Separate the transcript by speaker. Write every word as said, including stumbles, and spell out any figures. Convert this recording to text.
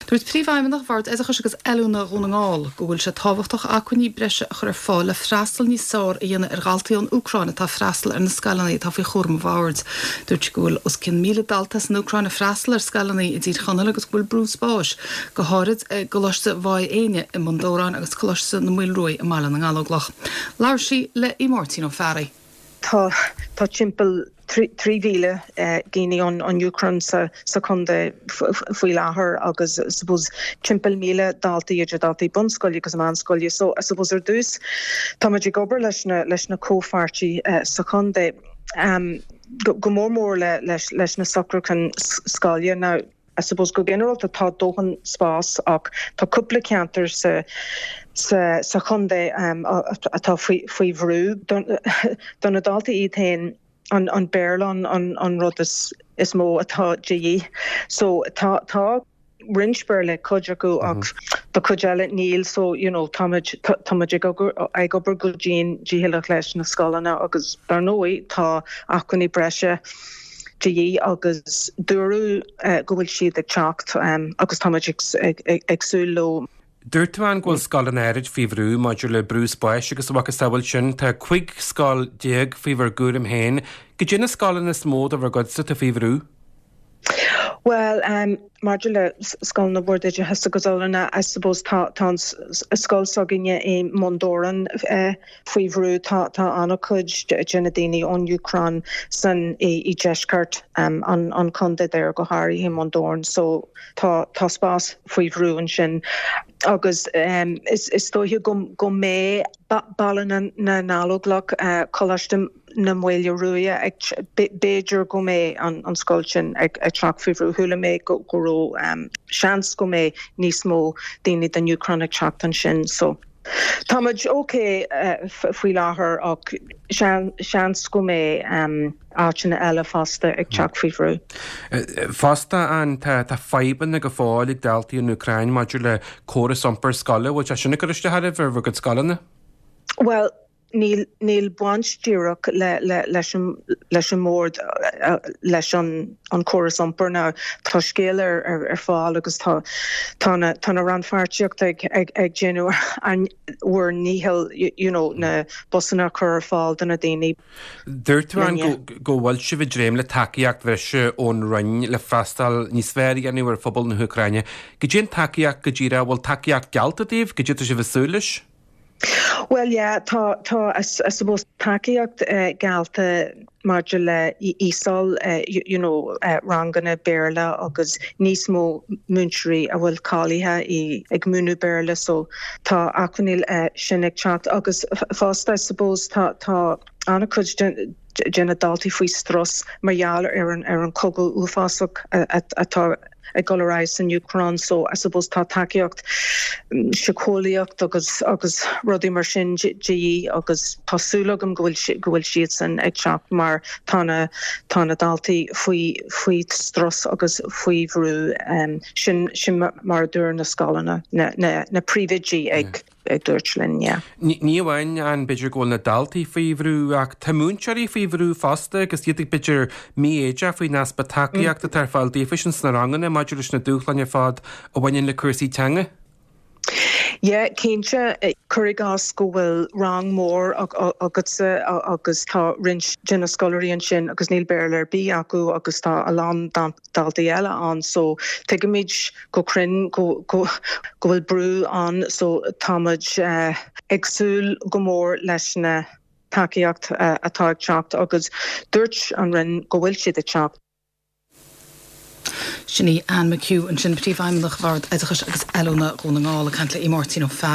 Speaker 1: Dúirt Príomhfheidhmeannach Bhord Oideachais agus Oiliúna Dhún na nGall go bhfuil sé tábhachtach acmhainní breise a chur ar fáil le freastal níos fearr a dhéanamh ar dhaltaí ón Úcráin atá ag freastal ar na scoileanna atá faoi chúram an bhoird. Dúirt go bhfuil os cionn míle dalta san Úcráin ag freastal ar scoileanna i dTír Chonaill agus go bhfuil brú spáis go háirid i gColáiste Mhaigh Éinne i mBun Dobhráin agus Coláiste na Maoile Ruaidh i mBaile na nGallóglach. Labhair sí le Máirtín Ó Fearraigh.
Speaker 2: Tá tá timpeall trí mhíle daoine ón an Úcráin sa sa chontae faoi láthair agus suppose timpeall míle daltaí idir daltaí bunscoile agus meánscoile so I suppose ar dtús Tá ag obair leis na leis na comhpháirtithe uh, sa chontae um, go, go mór mór le leis, leis na socrúcháin scoile now I suppose go ginearálta tá dóthain spás ach tá cúpla ceantar sa sa sa chontae um, atá faoi faoi bhrú do na daltaí iad féin an an Béarla an an rud is is mó atá de dhíth so tá tá roinnt Béarla cuid acu ach do chuid eile níl so you know táimid táimid ag ag obair go dian dícheallach leis na scoileanna agus dar ndóigh tá acmhainní breise de dhíth agus dúradh uh, go bhfuil siad ag teacht um, agus táimid ag, ag, ag, ag súil leo.
Speaker 3: Dúirt tú an go bhfuil scoileanna áirid faoi bhrú maidir le brú spáis agus agus bhfuil sin tá cúig scoil déag faoi bhur gcúram féin, cad iad na scoileanna is mó de bhur gcuidse atá faoi bhrú?
Speaker 2: Well um, maidir le scoileanna Bhord Oideachais agus Oiliúna I suppose tá tá scoil s'againne i mBun Dobhráin uh, faoi bhrú tá tá an-chuid de na daoine ón Úcráin san i, i deisceart um, an, an chontae there go háirithe i mBun Dobhráin so tá tá spás faoi bhrú ansin agus um, is, is dóiche go, go mbeidh Baile na, na nGallóglach uh, Coláiste na Maoile Ruaidh b'fhéidir go mbeidh an, an scoil sin ag ag teacht faoi bhrú chuala mé go go raibh um, seans go mbeidh níos mó daoine den Úcráin ag teacht ansin so. Táimid ok uh, faoi láthair ach seans go mbeidh um, áiteanna eile fosta ag teacht faoi bhrú.
Speaker 3: Fosta an tá tá fadhbanna go fóill ag daltaí an Úcráin maidir le córas iompar scoile, bhfuil sé sin ag cur isteach ar bhur gcuid scoileanna?
Speaker 2: Well, níl níl baint díreach le le leis an leis an mbord leis an an córas iompair ná tá scéal ar ar, ar fáil agus tá tá na tá na rannpháirtíocht ag ag ag déanamh an bhur ndícheall you know na busanna chur ar fáil do na daoine.
Speaker 3: Dúirt tú an go bhfuil sibh ag dréim le tacaíocht bhreise ón Roinn le freastal níos fearr a dhéanamh ar phobal na hÚcráine. Cad é an tacaíocht go díreach bhfuil tacaíocht geallta daoibh cad é atá sibh ag súil leis?
Speaker 2: Well yeah, tá tá I suppose tacaíocht uh, geallta maidir le ESOL uh, you, you know uh, ranganna Béarla agus níos mó múinteoirí a bhfuil cáilithe i ag múineadh Béarla so tá acmhainní uh, sin ag teacht agus fosta I suppose tá tá an-chuid de na daltaí faoi strus mar gheall ar an ar an cogadh uafásach atá ag dul ar aghaidh san Úcráin so I suppose tá tacaíocht síceolaíocht agus agus rudaí mar sin de dhíth agus tá súil agam go bhfuil go bhfuil siad san ag teacht mar tá na tá na daltaí faoi faoi strus agus faoi bhrú um, sin sin mar dúirt na scoileanna na, na, na príomhoidí ag ag dúirt linn yeah.
Speaker 3: Ní amháin an b'fhéidir go bhfuil na daltaí faoi bhrú ach tá múinteoirí faoi bhrú fosta agus iad ag b'fhéidir mífhoighdeach faoin easpa tacaíocht atá ar fáil daofa sin sna ranganna maidir leis na dúshláin ar fad a bhaineann le cúrsaí teanga.
Speaker 2: Yeah, cinnte cuir i gcás go bhfuil rang mór agatsa agus tá roinnt de na scoláirí ansin agus níl Béarla ar bith acu agus tá a lán daltaí eile ann so tuigimid go cruinn go go go bhfuil brú ann so táimid uh, ag súil go mór leis na tacaíocht uh, atá ag teacht agus dúirt an Roinn go bhfuil siad ag teacht.
Speaker 1: Sin í Anne McHugh ansin príomhfheidhmeannach Bhord Oideachais agus Oiliúna Dhún na nGall ag caint le Máirtín Ó Fearraigh.